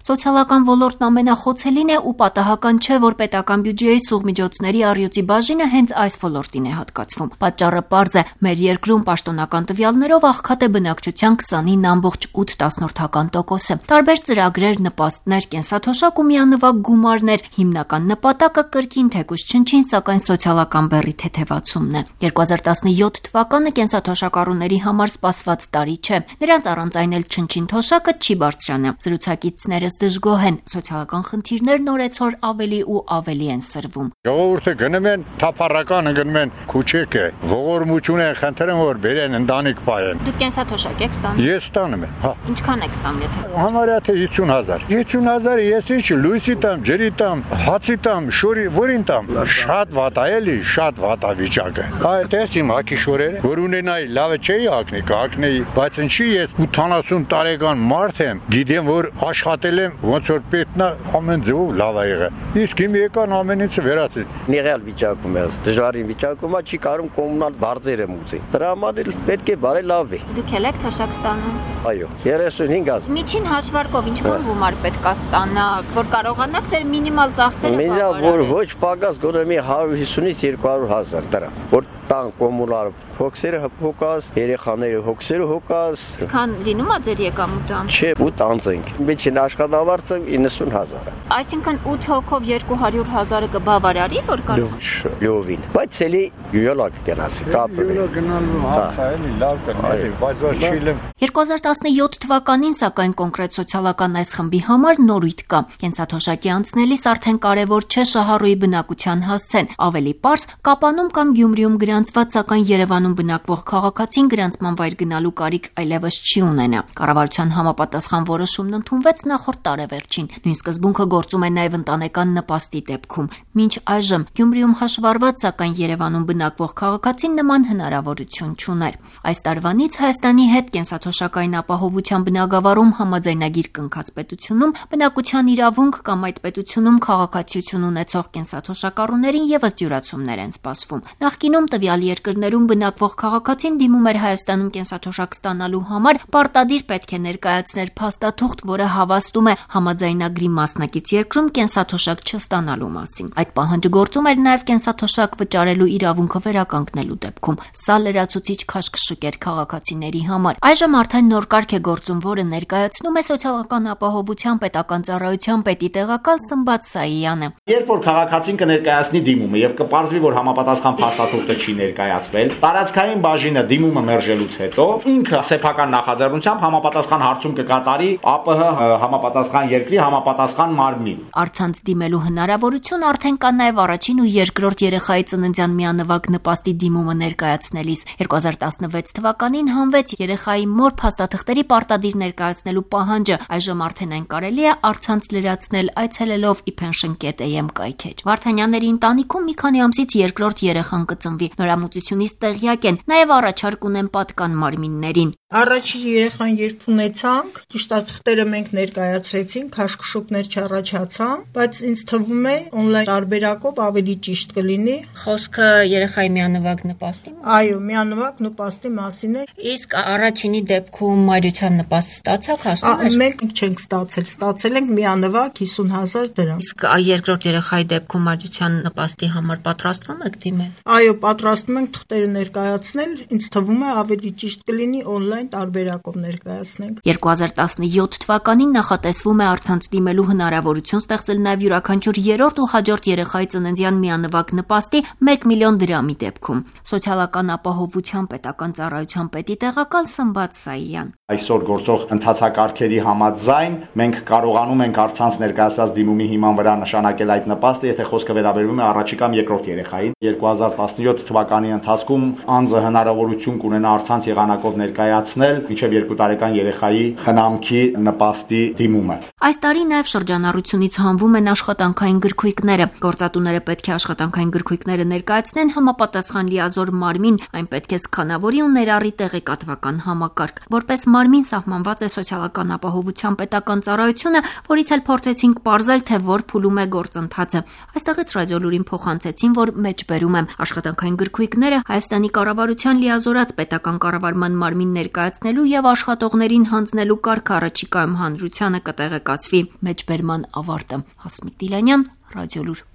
Սոցիալական ոլորտն ամենախոցելին է ու պատահական չէ, որ պետական բյուջեի սուղ միջոցների առյուծի բաժինը հենց այս ոլորտին է հատկացվում։ Պատճառը պարզ է, մեր երկրում պաշտոնական տվյալներով աղքատ է բնակչության 29.8%-ը։ Տարբեր ծրագրեր, նպաստներ, կենսաթոշակ ու միանվագ գումարներ, հիմնական նպատակը կրկին թեկուզ չնչին, սակայն սոցիալական բեռի թեթևացումն է։ 2017 թվականը կենսաթոշակառուների համար սպասված տարի չէ։ Նրանց առանց այն էլ չնչին թոշակը չի բարձրանա։ Զրուցակիցներս դժգոհ են, սոցիալական խնդիրներն օրեցօր ավելի ու ավելի են սրվում։ Ժողովուրդը գնում են թափառականը, գնում են քուչեկը, ողորմություն են խնդրում, որ բերեն ընտանիք պահեն։ Դուք կենսաթոշակ եք ստանում։ Ես ստանում եմ, հա։ Ինչքան եք ստանում, եթե։ Համարյա թե 50,000։ 50,000-ը ես ինչ լույսի տամ, ջրի տամ, հացի տամ, շորի, որին տամ։ Շատ վատ է, էլի, շատ վատ է վիճակը։ Այդ էս իմ հակի շորերը, որ ունենայի լավը չէի հակնի, կհակնեի, բայց ինչի ես 80 տարեկան մարդ եմ, գիտեմ, որ աշխատել եմ, ոնց որ պետքն է, ամեն ձևով լավ է եղել։ Իսկ իմ եկան ամեն ինչը վերացրին։ Նեղալ վիճակում է, դժվարին վիճակում է, չի կարող կոմունալ բարձեր եմ ուզի։ Դրա համար պետք է բարելավվի։ Դուք եք թոշակ ստանում։ Այո, 35,000։ Միջին հաշվարկով ինչքան գումար պետք է ստանալ, որ կարողանաք ձեր մինիմալ ծախսերը բավարարել։ Որ ոչ պակաս գոնե 150-ից 200,000 դրամ, որ տան կոմունալ հոգսերը հոգաս, երեխաները հոգսերը հոգաս։ Քան լինում է ձեր եկամուտը։ Չէ, 8 անց ենք։ Միջին աշխատավարձը 90,000։ Այսինքն 8 հոգով 200,000-ը կբավարարի, որ կարող։ Լովին։ Բայց էլի յուլակ գնացի, կապը։ Գնալու հարցը էլի լավ կնի, բայց ոչ չիլեմ։ 2017 թվականին, սակայն կոնկրետ սոցիալական այս խմբի համար նորույթ կա։ Կենսաթոշակի անցնելիս արդեն կարևոր չէ շահառուի բնակության հասցեն, ավելի պարզ Կապանում կամ Գյումրիում գրանցված, սակայն Երևանում բնակվող քաղաքացին գրանցման վայր գնալու կարիք այլևս չի ունենա։ Կառավարության համապատասխան որոշումն ընդունվեց նախորդ տարեվերջին։ Նույն սկզբունքը գործում է նաև ընտանեկան նպաստի դեպքում։ Մինչ այժմ Գյումրիում հաշվառված, սակայն Երևանում բնակվող քաղաքացին նման հնարավորություն չուներ։ Այս տարվանից Հայաստանի հետ կենսաթոշակային ապահովության բնագավառում համաձայնագիր կնքած պետությունում բնակության իրավունք կամ այդ պետությունում քաղաքացիություն ունեցող կենսաթոշակառուներին ևս դյուրացումներ են սպասվում։ Նախկինում տվյալ երկրներում բնակվող քաղաքացին դիմում էր Հայաստանում կենսաթոշակ ստանալու համար, պարտադիր պետք է ներկայացներ փաստաթուղթ, որը հավաստում է համաձայնագրի մասնակից երկրում կենսաթոշակ չստանալու մասին։ Այդ պահանջը գործում էր նաև կենսաթոշակ վճարելու իրավունքը վերականգնելու դեպքում։ Սա լրացուցիչ քաշքշուկ էր քաղաքացիների համար։ Այժմ արդեն նոր կարգ է գործում, որը ներկայացնում է սոցիալական ապահովության պետական ծառայության պետի տեղակալ Սմբատ Սայյանը։ Երբ որ քաղաքացին կներկայացնի դիմումը եւ կպարզվի, որ համապատասխան փաստաթուղթը չի ներկայացվել, տարածքային բաժինը դիմումը մերժելուց հետո ինքը սեփական նախաձեռնությամբ համապատասխան հարցում կկատարի ԱՊՀ համապատասխան երկրի համապատասխան մարմնին։ Առցանց դիմելու հնարավորություն արդեն կա նաև առաջին ու երկրորդ երեխայի ծննդյան միանվագ նպաստի դիմումը ներկայացնելիս։ 2016 թվականին հանվեց երեխայի մոր փաստաթղթերի պարտադիր ներկայացնելու պահանջը։ Այժմ արդեն այն կարելի է առցանց լրացնել այցելելով ePension.am կայքեջ։ Վարդանյանների ընտանիքում մի քանի ամսից երկրորդ երեխան կծնվի։ Նորամուծությունից տեղյակ են, նաև առաջարկ ունեն պատկան մարմիններին։ Առաջին երեխան երբ ունեցանք, ճիշտ թղթերը մենք ներկայացրեցինք, քաշքշուկներ չառաջացան, բայց ինձ թվում է on-line տարբերակով ավելի ճիշտ կլինի։ Խոսքը երեխայի միանվագ նպաստի մասին։ Այո, միանվագ նպաստի մասին է։ Իսկ առաջինի դեպքում մայրության նպաստ ստացաք, ասում եք։ Մենք չենք ստացել ենք միանվագ 50,000 դրամ։ Իսկ երկրորդ երեխայի դեպքում մայրության նպաստի համար պատրաստվում եք դիմել։ Այո, պատրաստվում ենք թղթերը ներկայացնել, ինձ թվում է ավելի ճիշտ կլինի on-line տարբերակով ներկայացնենք։ 2017 թվականին նախատեսվում է առցանց դիմելու հնարավորություն ստեղծել նաև յուրաքանչյուր երրորդ ու հաջորդ երեխայի ծննդյան միանվագ նպաստի 1 միլիոն դրամի դեպքում։ Սոցիալական ապահովության պետական ծառայության պետի տեղակալ Սմբատ Սայյան։ Այսօր գործող ընթացակարգերի համաձայն մենք կարողանում ենք առցանց ներկայացած դիմումի հիման վրա նշանակել այդ նպաստը, եթե խոսքը վերաբերվում է առաջին կամ երկրորդ երեխային։ 2017 թվականի ընթացքում անձը հնարավորություն կունենա առցանց եղանակով ներկայացնել մինչև 2 տարեկան երեխայի խնամքի նպաստի դիմումը։ Այս տարի նաև շրջանառությունից հանվում են աշխատանքային գրքույկները։ Գործատուները պետք է աշխատանքային գրքույկները ներկայացնեն համապատասխան լիազոր մարմին, այն պետք է սքանավորի ու ներառի տեղեկատվական համակարգ։ Որպես մարմին սահմանված է սոցիալական ապահովության պետական ծառայությունը, որից էլ փորձեցինք պարզել, թե որ փուլում է գործընթացը։ Այստեղից ռադիոլուրին փոխանցեցին, որ մեջբերում եմ աշխատանքային գրքույկները Հայաստանի կառավարության լիազորած պետական կառավարման մարմին ներկայացնելու եւ աշխատողներին հանձնելու կարգը առաջիկայում հանրությանը կտրվի կտեղեկացվի։ Մեջբերման ավարտը։ Հասմիկ Դիլանյան, Ռադիոլուր։